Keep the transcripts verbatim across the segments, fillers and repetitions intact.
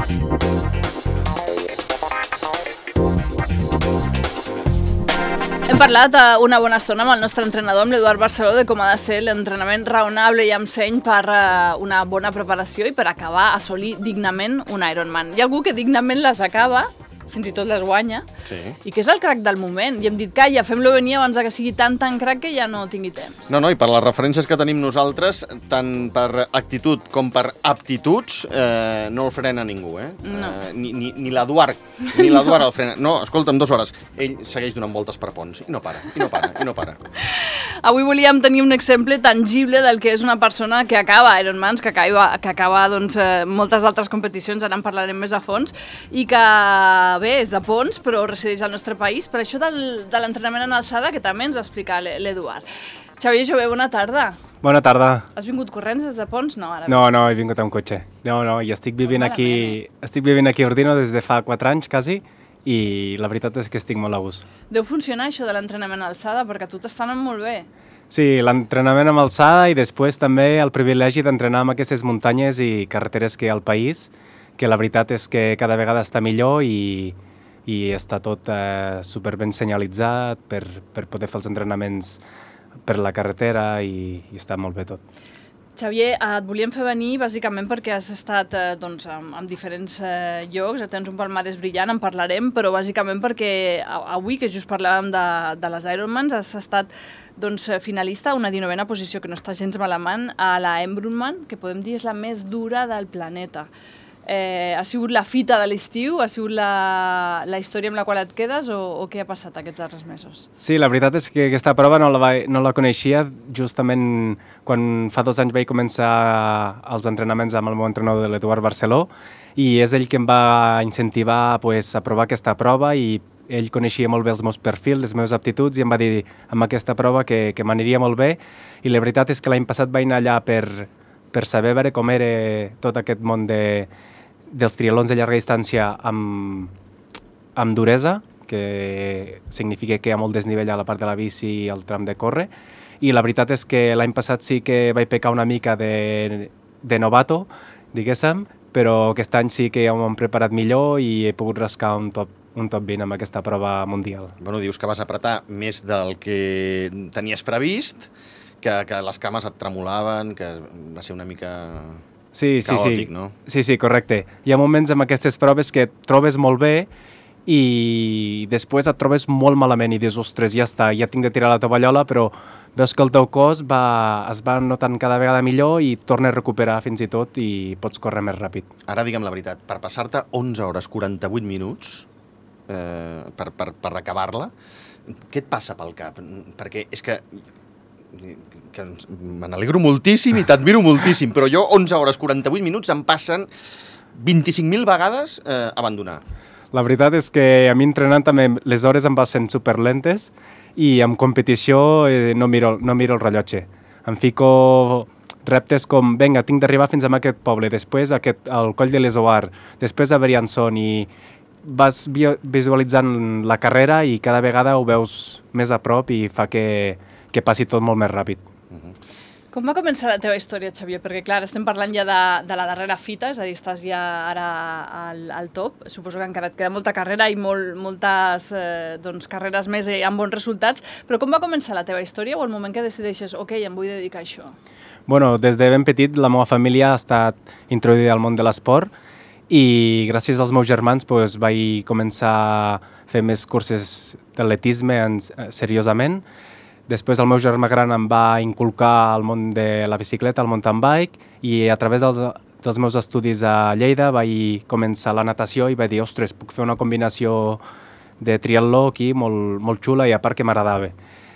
Hem parlat una bona estona amb el nostre entrenador, amb l'Eduard Barceló, de com ha de ser l'entrenament raonable i amb seny per una bona preparació i per acabar, assolir dignament un Ironman. Hi ha algú que dignament les acaba, fins i tot les guanya, sí. I que és el crac del moment. I hem dit, calla, fem-lo venir abans que sigui tan, tan crac que ja no tingui temps. No, no, i per les referències que tenim nosaltres, tant per actitud com per aptituds, eh, no el frena ningú, eh? No. eh ni ni, ni l'Eduard, ni l'Eduard el frena. No, escolta'm, dues hores. Ell segueix donant voltes per ponts, i no para, i no para, i no para. Avui volíem tenir un exemple tangible del que és una persona que acaba Ironmans, que acaba, que acaba doncs, eh, moltes altres competicions, ara en parlarem més a fons, i que bé, és de Pons, però resideix al nostre país, per això del, de l'entrenament en alçada, que també ens ha explicat l'Eduard. Xavier Jové, bona tarda. Bona tarda. Has vingut corrents des de Pons? No, ara no, no, he vingut amb cotxe. No, no, i estic vivint aquí, estic vivint aquí a Ordino des de fa quatre anys, quasi, i la veritat és que estic molt a gust. Deu funcionar això de l'entrenament en alçada, perquè a tu t'està anant molt bé. Sí, l'entrenament amb alçada i després també el privilegi d'entrenar amb aquestes muntanyes i carreteres que hi ha al país, que la veritat és que cada vegada està millor i, i està tot eh, super ben senyalitzat per, per poder fer els entrenaments per la carretera i, i està molt bé tot. Xavier, et volíem fer venir bàsicament perquè has estat eh, doncs, en, en diferents eh, llocs, tens un palmarès brillant, en parlarem, però bàsicament perquè avui, que just parlàvem de, de les Ironmans, has estat doncs, finalista a una dinovena posició, que no està gens malament, a la Embrunman, que podem dir és la més dura del planeta. Eh, ha sigut la fita de l'estiu? Ha sigut la, la història amb la qual et quedes o, o què ha passat aquests darrers mesos? Sí, la veritat és que aquesta prova no la, va, no la coneixia justament quan fa dos anys vaig començar els entrenaments amb el meu entrenador de l'Eduard Barceló i és ell que em va incentivar pues, a provar aquesta prova i ell coneixia molt bé els meus perfils, les meves aptituds i em va dir amb aquesta prova que, que m'aniria molt bé i la veritat és que l'any passat vaig anar allà per, per saber veure com era tot aquest món de dels triatlons de llarga distància amb, amb duresa, que significa que hi ha molt desnivell a la part de la bici i el tram de córrer, i la veritat és que l'any passat sí que vaig pecar una mica de, de novato, diguéssim, però aquest any sí que ja m'ho hem preparat millor i he pogut rascar un top, un top vint amb aquesta prova mundial. Bueno, dius que vas apretar més del que tenies previst, que, que les cames et tremolaven, que va ser una mica... Sí, sí, caòtic, sí. No? Sí, sí, correcte. Hi ha moments amb aquestes proves que et trobes molt bé i després et trobes molt malament i dius, ostres, ja està, ja tinc de tirar la tovallola, però veus que el teu cos va, es va notant cada vegada millor i torna a recuperar fins i tot i pots córrer més ràpid. Ara digue'm la veritat, per passar-te onze hores quaranta-vuit minuts eh, per, per, per acabar-la, què et passa pel cap? Perquè és que... que me n'alegro moltíssim i t'admiro moltíssim, però jo onze hores quaranta-vuit minuts em passen vint-i-cinc mil vegades eh, abandonar. La veritat és que a mi entrenant també les hores em passen superlentes i en competició eh, no, miro, no miro el rellotge. Em fico reptes com, vinga, tinc d'arribar fins a aquest poble, després aquest, al Coll de l'Esoar, després a Briançon i vas visualitzant la carrera i cada vegada ho veus més a prop i fa que que passi tot molt més ràpid. Uh-huh. Com va començar la teva història, Xavier? Perquè, clar, estem parlant ja de, de la darrera fita, és a dir, estàs ja ara al, al top. Suposo que encara et queda molta carrera i molt, moltes eh, doncs, carreres més amb bons resultats, però com va començar la teva història o el moment que decideixes, ok, em vull dedicar a això? Bueno, des de ben petit la meva família ha estat introduïda al món de l'esport i gràcies als meus germans pues, vaig començar a fer més curses d'atletisme seriosament. Després el meu germà gran em va inculcar el món de la bicicleta, el mountain bike, i a través dels, dels meus estudis a Lleida vaig començar la natació i vaig dir, ostres, puc fer una combinació de triatló aquí molt, molt xula i a part que m'agradava.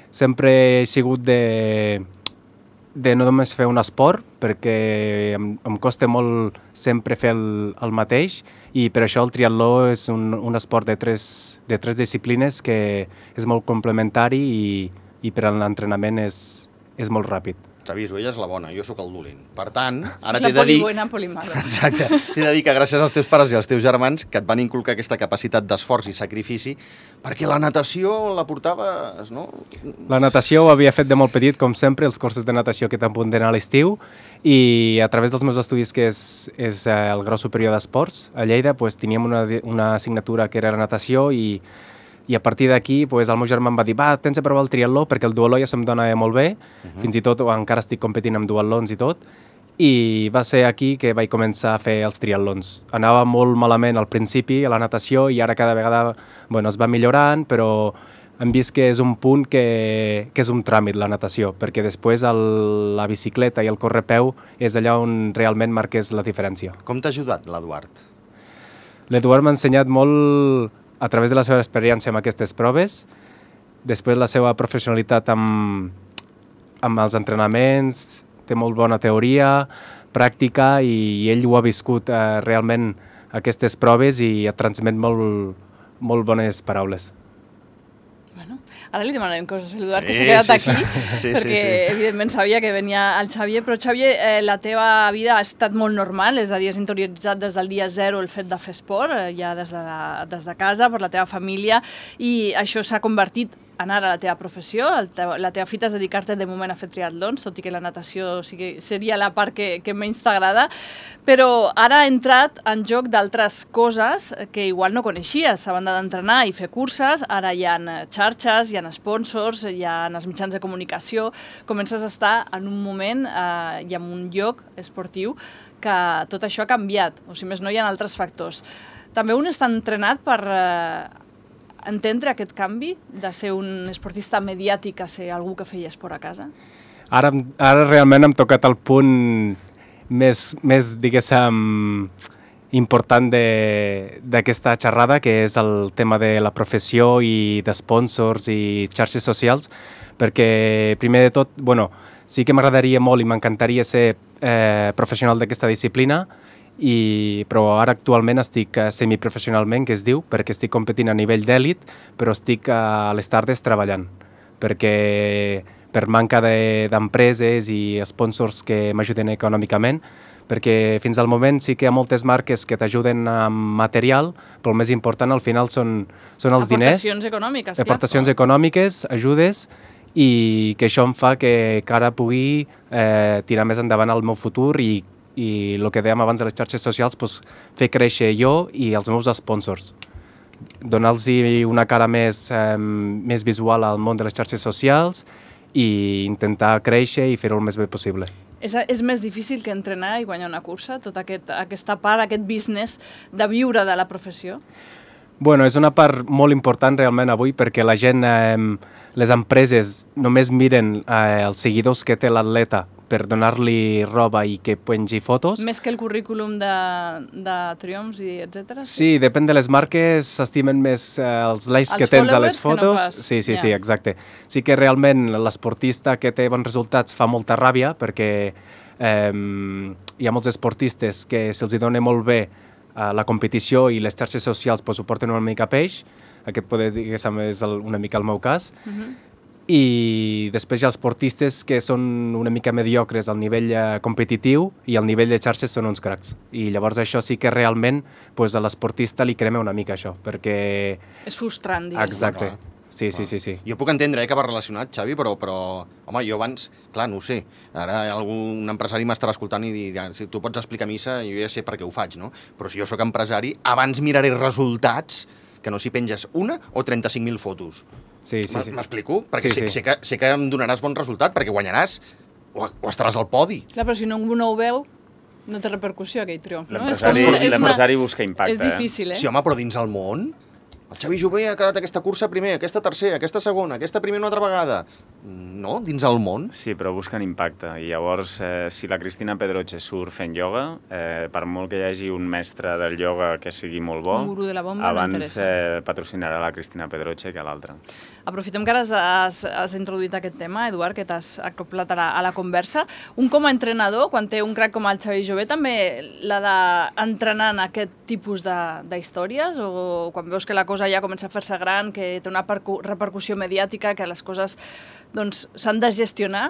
Sempre he sigut de, de no només fer un esport, perquè em, em costa molt sempre fer el, el mateix, i per això el triatló és un, un esport de tres, de tres disciplines que és molt complementari i i per a l'entrenament és, és molt ràpid. t'aviso, ella és la bona, jo sóc el dolent. Per tant, ara la t'he de dir... polibuena, polimala. Exacte. T'he de dir que gràcies als teus pares i als teus germans que et van inculcar aquesta capacitat d'esforç i sacrifici, perquè la natació la portaves, no? La natació ho havia fet de molt petit, com sempre, els cursos de natació que t'apunten a l'estiu, i a través dels meus estudis, que és, és el grau superior d'esports, a Lleida, pues, teníem una, una assignatura que era la natació, i i a partir d'aquí pues, el meu germà em va dir va, tens de provar el triatló perquè el duatló ja se'm dona molt bé, uh-huh. fins i tot encara estic competint amb duatlons i tot, i va ser aquí que vaig començar a fer els triatlons. Anava molt malament al principi a la natació i ara cada vegada bueno, es va millorant, però hem vist que és un punt que, que és un tràmit la natació, perquè després el, la bicicleta i el correpeu és allà on realment marques la diferència. Com t'ha ajudat l'Eduard? L'Eduard m'ha ensenyat molt a través de la seva experiència amb aquestes proves, després la seva professionalitat amb, amb els entrenaments, té molt bona teoria, pràctica, i ell ho ha viscut eh, realment aquestes proves i et transmet molt, molt bones paraules. Bueno, ara li demanarem coses a l'Eduard, que Sí, s'ha quedat sí, aquí, sí. Sí, perquè sí, sí. evidentment sabia que venia el Xavier, però Xavier, eh, la teva vida ha estat molt normal, és a dir, has interioritzat des del dia zero el fet de fer esport, eh, ja des de, la, des de casa, per la teva família, i això s'ha convertit en ara la teva professió, el teu, la teva fita és dedicar-te de moment a fer triatlons, tot i que la natació sigui, seria la part que, que menys t'agrada, però ara ha entrat en joc d'altres coses que igual no coneixies. A banda d'entrenar i fer curses, ara hi ha xarxes, hi ha sponsors, hi ha els mitjans de comunicació, comences a estar en un moment eh, i en un lloc esportiu que tot això ha canviat, o si més no hi ha altres factors. També un està entrenat per eh, entendre aquest canvi de ser un esportista mediàtic a ser algú que feia esport a casa? Ara, ara realment hem tocat el punt més, més diguéssim, important d'aquesta xerrada, que és el tema de la professió i d'esponsors i xarxes socials, perquè primer de tot, bueno, sí que m'agradaria molt i m'encantaria ser eh, professional d'aquesta disciplina, I, però ara actualment estic uh, semiprofessionalment, que es diu, perquè estic competint a nivell d'èlit, però estic uh, a les tardes treballant, perquè per manca d'empreses de, i sponsors que m'ajuden econòmicament, perquè fins al moment sí que hi ha moltes marques que t'ajuden amb material, però el més important al final són, són els diners. Aportacions econòmiques, clar. Aportacions econòmiques, ajudes, i que això em fa que, que ara pugui eh, tirar més endavant el meu futur i i el que dèiem abans de les xarxes socials, doncs, fer créixer jo i els meus sponsors. Donar-los una cara més, eh, més visual al món de les xarxes socials i intentar créixer i fer-ho el més bé possible. És, és més difícil que entrenar i guanyar una cursa? Tota aquest, aquesta part, aquest business de viure de la professió? Bueno, és una part molt important realment avui, perquè la gent, eh, les empreses només miren eh, els seguidors que té l'atleta per donar-li roba i que pengi fotos. Més que el currículum de, de triomfs i etcètera? Sí, depèn de les marques, s'estimen més eh, els likes els que tens a les fotos. No sí, sí, yeah. sí, exacte. Sí que realment l'esportista que té bons resultats fa molta ràbia, perquè eh, hi ha molts esportistes que se'ls dona molt bé eh, la competició i les xarxes socials pues, ho porten una mica a peix. Aquest poder dir que és el, una mica el meu cas. Uh-huh. I després hi ha els esportistes que són una mica mediocres al nivell eh, competitiu i al nivell de xarxes són uns cracs. I llavors això sí que realment pues, a l'esportista li crema una mica això, perquè... És frustrant, diguéssim. Exacte. Clar. Sí, sí, sí, sí. Jo puc entendre eh, que va relacionat, Xavi, però, però home, jo abans, clar, no ho sé. Ara algun empresari m'estarà escoltant i dirà, si tu pots explicar missa, jo ja sé per què ho faig, no? Però si jo sóc empresari, abans miraré resultats que no si penges una o trenta-cinc mil fotos. Sí, sí, sí. M'explico? Perquè sí, sé, sí. sé, que, sé que em donaràs bon resultat, perquè guanyaràs o, o estaràs al podi. Clar, però si ningú no ho veu, no té repercussió aquell triomf, no? L'empresari busca impacte. És difícil, eh? Sí, home, però dins el món... El Xavi Jové ha quedat aquesta cursa primer, aquesta tercera, aquesta segona, aquesta primera una altra vegada. No? Dins el món? Sí, però busquen impacte. I llavors, eh, si la Cristina Pedroche surt fent ioga, eh, per molt que hi hagi un mestre del ioga que sigui molt bo, un gurú de la bomba, abans eh, patrocinarà la Cristina Pedroche que l'altra. Aprofitem que ara has, has, has introduït aquest tema, Eduard, que t'has acoplat a la, a la conversa. Un com a entrenador, quan té un crac com el Xavi Jové, també l'ha d'entrenar en aquest tipus d'històries? O quan veus que la cosa ja comença a fer-se gran, que té una repercussió mediàtica, que les coses doncs, s'han de gestionar,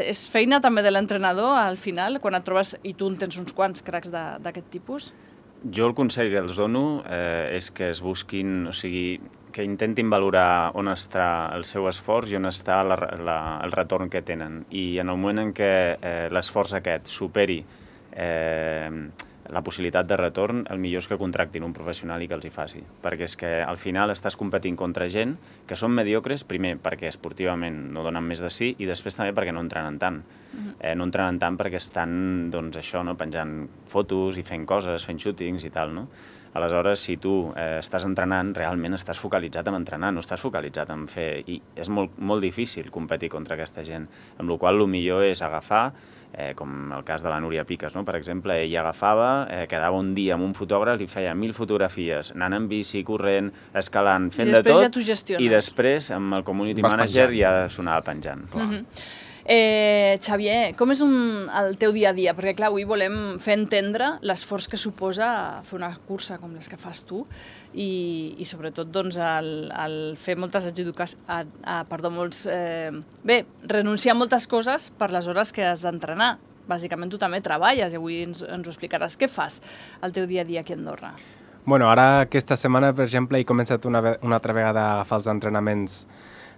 És feina també de l'entrenador al final, quan et trobes, i tu en tens uns quants cracs d'aquest tipus? Jo el consell que els dono eh, és que es busquin, o sigui, que intentin valorar on està el seu esforç i on està la, la, el retorn que tenen. I en el moment en què eh, l'esforç aquest superi eh, la possibilitat de retorn, el millor és que contractin un professional i que els hi faci. Perquè és que al final estàs competint contra gent que són mediocres, primer perquè esportivament no donen més de sí i després també perquè no entrenen tant. Uh-huh. eh, no entrenen tant perquè estan, doncs, això, no, penjant fotos i fent coses, fent shootings i tal, no? Aleshores, si tu eh, estàs entrenant, realment estàs focalitzat en entrenar, no estàs focalitzat en fer... I és molt, molt difícil competir contra aquesta gent, amb la qual cosa el millor és agafar, eh, com el cas de la Núria Piques, no? Per exemple, ella agafava, eh, quedava un dia amb un fotògraf, li feia mil fotografies, anant en bici, corrent, escalant, fent de tot, ja t'ho gestiones. I després, amb el community Vas manager, penjant. ja sonava penjant. Clar. Mm-hmm. Eh, Xavier, com és un, el teu dia a dia? Perquè, clar, avui volem fer entendre l'esforç que suposa fer una cursa com les que fas tu i, i sobretot, doncs, el, el fer moltes adjudicacions, a, a, perdó, molts... Eh, bé, renunciar a moltes coses per les hores que has d'entrenar. Bàsicament, tu també treballes i avui ens, ens ho explicaràs. Què fas al teu dia a dia aquí a Andorra? Bueno, ara aquesta setmana, per exemple, he començat una, una altra vegada a agafar els entrenaments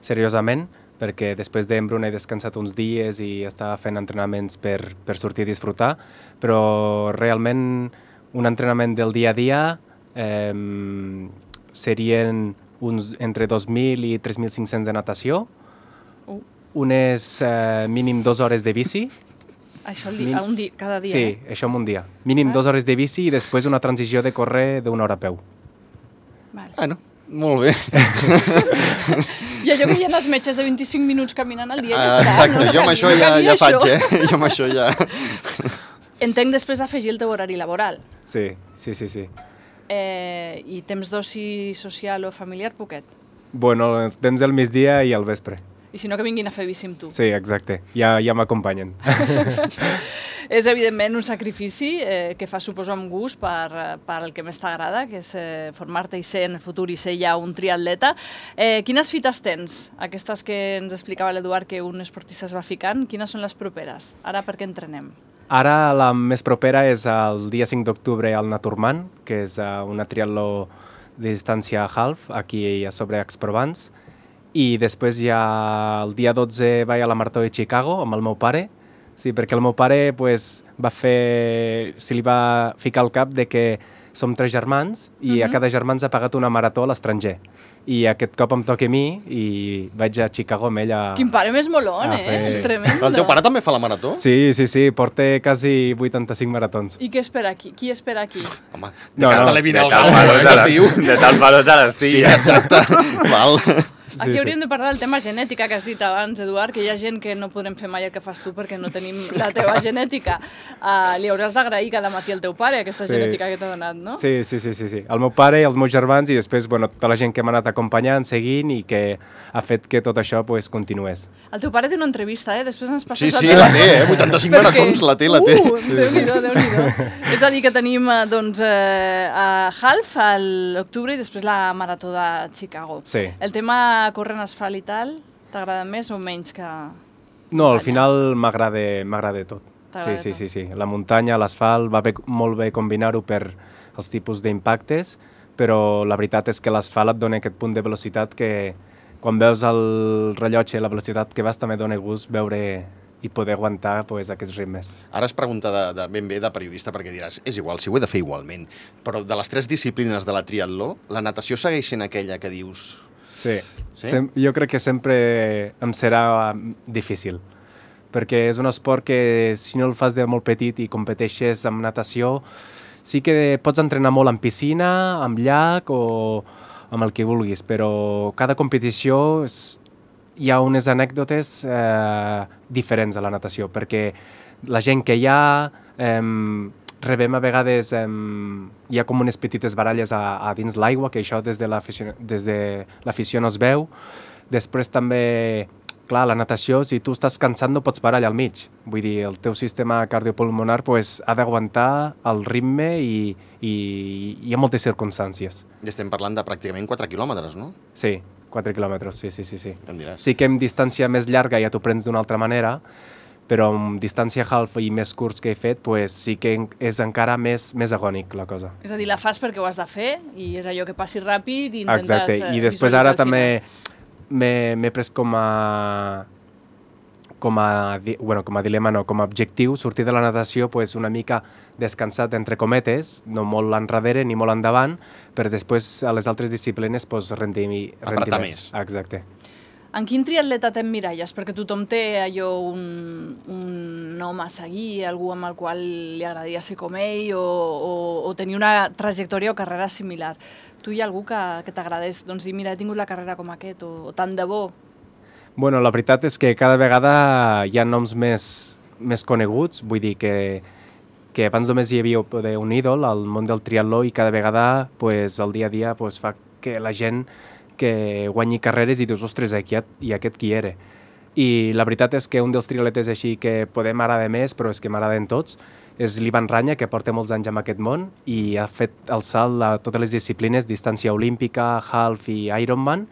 seriosament, perquè després d'Embrun he descansat uns dies i estava fent entrenaments per, per sortir a disfrutar, però realment un entrenament del dia a dia eh, serien uns, entre dos mil i tres mil cinc-cents de natació, Uh. unes eh, mínim dues hores de bici. Això el dia, un dia, cada dia, Sí, eh? això en un dia. Mínim dues hores de bici i després una transició de córrer d'una hora a peu. Vale. Bueno, molt bé. I allò que hi ha els metges de vint-i-cinc minuts caminant al dia i ja Ah, està. exacte, no? jo amb això No ja, calia ja faig, això. eh? Jo amb això ja... Entenc després afegir el teu horari laboral. Sí, sí, sí, sí. Eh, I temps d'oci social o familiar, poquet. Bueno, el temps del migdia i al vespre. I si no, que vinguin a fer bici amb tu. Sí, exacte. Ja, ja m'acompanyen. És, evidentment, un sacrifici eh, que fas, suposo, amb gust per, per el que més t'agrada, que és eh, formar-te i ser en el futur i ser ja un triatleta. Eh, quines fites tens? Aquestes que ens explicava l'Eduard que un esportista es va ficant, quines són les properes? Ara per què entrenem? Ara la més propera és el dia cinc d'octubre al Naturman, que és uh, una triatló de distància half, aquí a sobre Exprovans, i després ja el dia dotze vaig a la Marató de Chicago amb el meu pare, sí, perquè el meu pare pues, va fer, se li va ficar al cap de que som tres germans i Mhm. a cada germà ens ha pagat una marató a l'estranger. I aquest cop em toca a mi i vaig a Chicago amb ell a... Quin pare més molón, Ah, eh? fer- Tremendo. El teu pare també fa la marató? Sí, sí, sí, porta quasi vuitanta-cinc maratons. I què espera aquí? Qui espera aquí? Home, No, de no, Castell Vine De al tal Gal, valor eh, te que es les- diu. de tal valor te Sí, l'estilla. exacte. Val. Aquí Sí, sí. hauríem de parlar del tema genètica que has dit abans, Eduard, que hi ha gent que no podrem fer mai el que fas tu perquè no tenim la teva genètica. Uh, li hauràs d'agrair cada matí al teu pare aquesta Sí. genètica que t'ha donat, no? Sí, sí, sí, sí, sí. El meu pare, els meus germans i després bueno, tota la gent que m'ha anat acompanyant, seguint i que ha fet que tot això pues, continués. El teu pare té una entrevista, eh? Després ens Sí, passes sí, la la teva. té, eh? vuitanta-cinc Perquè- maratons, la té, la té. Uh, Déu-n'hi-do, Déu-n'hi-do. És a dir, que tenim eh, doncs, eh, a Half a l'octubre i després la Marató de Chicago. Sí. El tema córrer en asfalt i tal, t'agrada més o menys que... No, al muntanya? final m'agrada m'agrada tot. T'agrada Sí, sí, tot. sí, sí. La muntanya, l'asfalt, va bé, molt bé combinar-ho per els tipus d'impactes, però la veritat és que l'asfalt et dona aquest punt de velocitat que quan veus el rellotge, la velocitat que vas, també dona gust veure i poder aguantar pues, aquests ritmes. Ara és pregunta de, de ben bé de periodista, perquè diràs, és igual, si ho he de fer igualment. Però de les tres disciplines de la triatló, la natació segueix sent aquella que dius... Sí, Sí? Sem jo crec que sempre em serà mm, difícil, perquè és un esport que si no el fas de molt petit i competeixes amb natació, sí que pots entrenar molt en piscina, amb llac o amb el que vulguis, però cada competició és, hi ha unes anècdotes eh, diferents a la natació, perquè la gent que hi ha... Eh, rebem a vegades, eh, hi ha com unes petites baralles a, a dins l'aigua, que això des de l'afició no es veu. Després també, clar, la natació, si tu estàs cansat no pots parar allà al mig. Vull dir, el teu sistema cardiopulmonar pues, ha d'aguantar el ritme i, i hi ha moltes circumstàncies. I estem parlant de pràcticament quatre quilòmetres, no? Sí, quatre quilòmetres, sí, sí, sí. sí. Em diràs. Sí que en distància més llarga ja t'ho prens d'una altra manera, però amb distància half i més curts que he fet, pues, sí que és encara més, més agònic la cosa. És a dir, la fas perquè ho has de fer i és allò que passi ràpid i intentes Exacte, i després ara també m'he pres com a com a, bueno, com a dilema, no, com a objectiu, sortir de la natació pues, una mica descansat, entre cometes, no molt enrere ni molt endavant, per després a les altres disciplines pues, rendir, rendir apretar més. més. Exacte. En quin triatleta t'emmiralles? Perquè tothom té allò un, un home a seguir, algú amb el qual li agradaria ser com ell o, o, o tenir una trajectòria o carrera similar. Tu hi ha algú que, que t'agradés doncs, dir, mira, he tingut la carrera com aquest o, o tant de bo? Bueno, la veritat és que cada vegada hi ha noms més, més coneguts, vull dir que, que abans només hi havia un ídol al món del triatló i cada vegada pues, el dia a dia pues, fa que la gent que guanyi carreres i dius, ostres, aquí i aquest qui era. I la veritat és que un dels triatletes així que podem agradar més, però és que m'agraden tots, és l'Ivan Ranya, que porta molts anys en aquest món i ha fet el salt a totes les disciplines, distància olímpica, half i Ironman,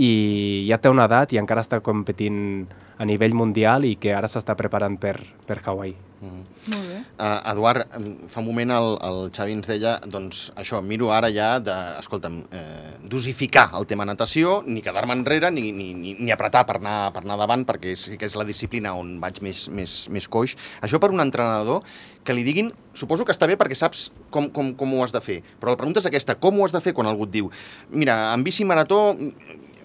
i ja té una edat i encara està competint a nivell mundial i que ara s'està preparant per, per Hawaii. Mm. Molt bé. Uh, Eduard, fa un moment el, el Xavi ens deia, doncs això, miro ara ja de, escolta'm, eh, dosificar el tema natació, ni quedar-me enrere, ni, ni, ni, ni apretar per anar, per anar davant, perquè sí que és la disciplina on vaig més, més, més coix. Això per un entrenador que li diguin, suposo que està bé perquè saps com, com, com ho has de fer, però la pregunta és aquesta, com ho has de fer quan algú et diu, mira, en bici marató,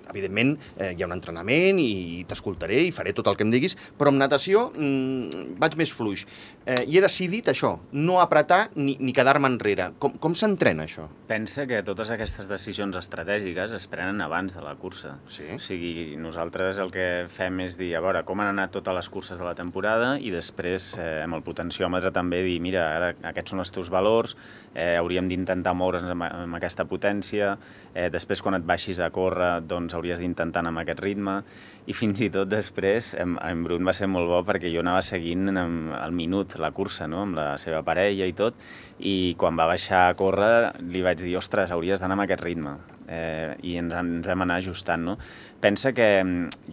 evidentment eh, hi ha un entrenament i t'escoltaré i faré tot el que em diguis, però amb natació mmm, vaig més fluix. Eh, I he decidit això, no apretar ni, ni quedar-me enrere. Com, com s'entrena això? Pensa que totes aquestes decisions estratègiques es prenen abans de la cursa. Sí. O sigui, nosaltres el que fem és dir, a veure, com han anat totes les curses de la temporada i després eh, amb el potenciòmetre també dir, mira, ara aquests són els teus valors, eh, hauríem d'intentar moure's amb, amb aquesta potència, eh, després quan et baixis a córrer, doncs hauries d'intentar anar amb aquest ritme, i fins i tot després, en, en Brun va ser molt bo perquè jo anava seguint en, al minut la cursa, no?, amb la seva parella i tot, i quan va baixar a córrer li vaig dir, ostres, hauries d'anar amb aquest ritme. Eh, i ens, ens vam anar ajustant, no? Pensa que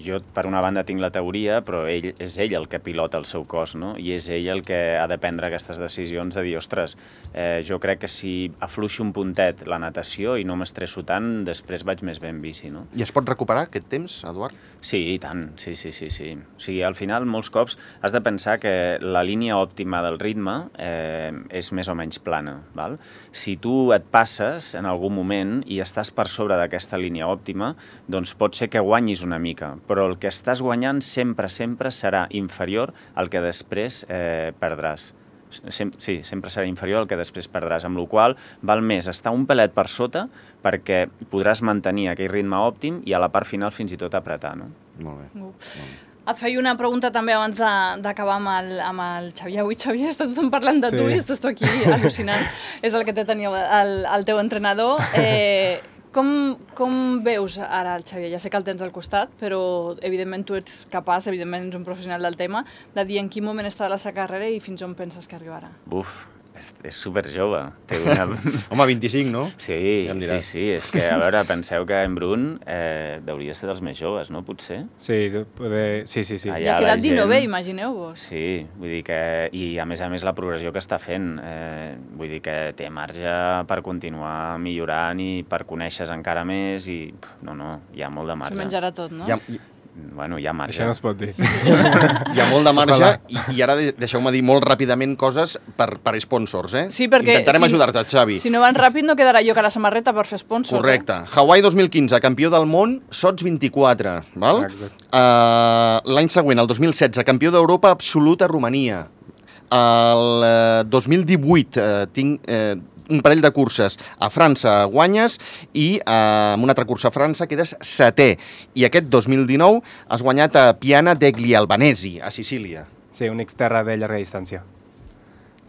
jo, per una banda, tinc la teoria, però ell, és ell el que pilota el seu cos, no? I és ell el que ha de prendre aquestes decisions de dir, ostres, eh, jo crec que si afluixo un puntet la natació i no m'estresso tant, després vaig més bé en bici, no? I es pot recuperar aquest temps, Eduard? Sí, i tant, sí, sí, sí, sí. O sigui, al final, molts cops has de pensar que la línia òptima del ritme eh, és més o menys plana, val? Si tu et passes en algun moment i estàs per sobre d'aquesta línia òptima, doncs pot ser que guanyis una mica, però el que estàs guanyant sempre, sempre serà inferior al que després eh, perdràs. Sem sí, sempre serà inferior al que després perdràs, amb la qual cosa val més estar un pelet per sota perquè podràs mantenir aquell ritme òptim i a la part final fins i tot apretar, no? Molt bé. Uh. Molt bé. Et feia una pregunta també abans d'acabar amb, el, amb el Xavier. Avui, Xavier, està tothom parlant de tu Sí. i estàs tu aquí al·lucinant. És el que té tenir el, el teu entrenador. Eh, com, com veus ara el Xavier? Ja sé que el tens al costat, però evidentment tu ets capaç, evidentment ets un professional del tema, de dir en quin moment està de la seva carrera i fins on penses que arribarà. Buf, és, és superjove. Té una... Home, vint-i-cinc, no? Sí, Ja em sí, diràs. sí, és que, a veure, penseu que en Brun eh, hauria de ser dels més joves, no? Potser. Sí, poder... sí, sí, sí. Allà Ja ha la quedat gent- dinovè, imagineu-vos. Sí, vull dir que... I, a més a més, la progressió que està fent. Eh, vull dir que té marge per continuar millorant i per conèixer encara més i... pf, No, no, hi ha molt de S'ho marge. menjarà tot, no? Hi ha, hi, Bueno, hi ha marge. Això no es pot dir. hi ha molt de marge Ojalà. i, i ara de- deixeu-me dir molt ràpidament coses per, per sponsors, eh? Sí, perquè Intentarem si- ajudar-te, Xavi. Si no van ràpid no quedarà jo que la samarreta per fer sponsors. Correcte. Hawaii dos mil quinze, campió del món, Sots vint-i-quatre, val? Exacte. Uh, L'any següent, el dos mil setze, campió d'Europa absoluta a Romania. El uh, dos mil divuit uh, tinc uh, un parell de curses a França guanyes i uh, amb una altra cursa a França quedes setè. I aquest dos mil dinou has guanyat a Piana degli Albanesi, a Sicília. Sí, un exterra de llarga distància.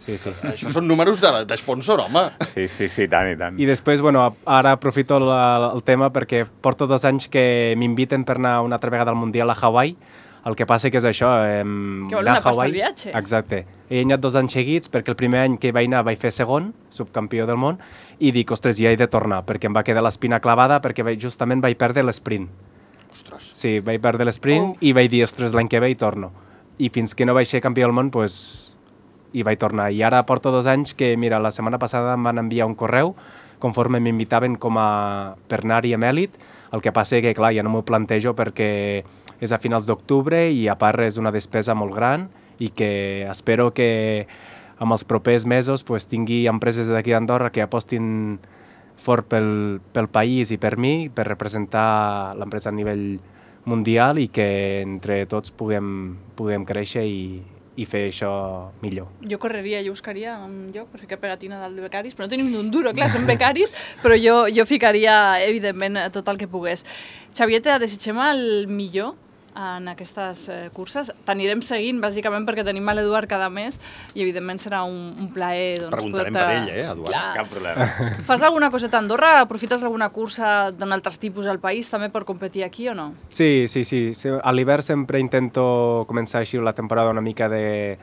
Sí, sí. Això són números de, de sponsor, home. Sí, sí, sí, tant i tant. I després, bueno, ara aprofito la, el tema perquè porto dos anys que m'inviten per anar una altra vegada al Mundial a Hawaii. El que passa que és això... Eh, Que vol una pasta al viatge. Exacte. He anat dos anys seguits perquè el primer any que vaig anar vaig fer segon, subcampió del món, i dic, ostres, ja he de tornar, perquè em va quedar l'espina clavada perquè vaig, justament vaig perdre l'esprint. Ostres. Sí, vaig perdre l'esprint Oh. i vaig dir, ostres, l'any que ve hi torno. i fins que no vaig ser campió del món, pues, hi vaig tornar. I ara porto dos anys que, mira, la setmana passada em van enviar un correu conforme m'invitaven com a per anar-hi amb èlit. El que passa que, clar, ja no m'ho plantejo perquè és a finals d'octubre i a part és una despesa molt gran i que espero que amb els propers mesos pues, tingui empreses d'aquí d'Andorra que apostin fort pel, pel país i per mi, per representar l'empresa a nivell mundial i que entre tots puguem, puguem créixer i, i fer això millor. Jo correria, jo buscaria un lloc per ficar pegatina dalt de becaris, però no tenim ni un duro, clar, som becaris, però jo, jo ficaria, evidentment, tot el que pogués. Xavier, te desitgem el millor en aquestes eh, curses. T'anirem seguint, bàsicament, perquè tenim a l'Eduard cada mes i, evidentment, serà un, un plaer... Doncs, preguntarem poder-te... per ell, eh, Eduard? Clar. Cap problema. Fas alguna coseta a Andorra? Aprofites alguna cursa d'un altre tipus al país també per competir aquí o no? Sí, sí, sí. A l'hivern sempre intento començar així la temporada una mica de,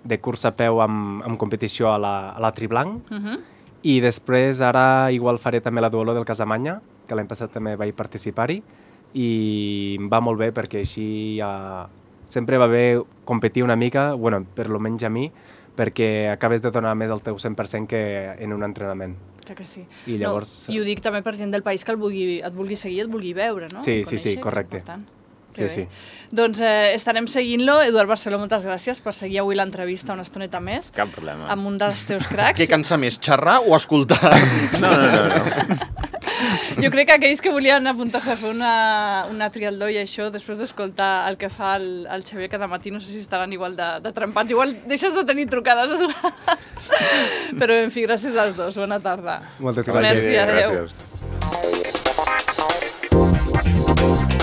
de cursa a peu amb, amb competició a la, a la Triblanc. Uh -huh. I després ara igual faré també la Duolo del Casamanya, que l'any passat també vaig participar-hi, i em va molt bé perquè així ja... sempre va bé competir una mica, bueno, per lo menys a mi, perquè acabes de donar més el teu cent per cent que en un entrenament. Clar que sí. I llavors... No, I ho dic també per gent del país que el vulgui, et vulgui seguir, et vulgui veure, no? Sí, I sí, sí, conèixer, correcte. Que Sí, sí. Doncs eh, estarem seguint-lo. Eduard Barceló, moltes gràcies per seguir avui l'entrevista una estoneta més. Cap problema. Amb un dels teus cracs. Què cansa més, xerrar o escoltar? No, no, no. no. Jo crec que aquells que volien apuntar-se a fer una, una trialdó i això, després d'escoltar el que fa el, el Xavier cada matí, no sé si estaran igual de, de trempats. Igual deixes de tenir trucades, Eduard. Però, en fi, gràcies als dos. Bona tarda. Moltes Merci, gràcies. adéu. Gràcies.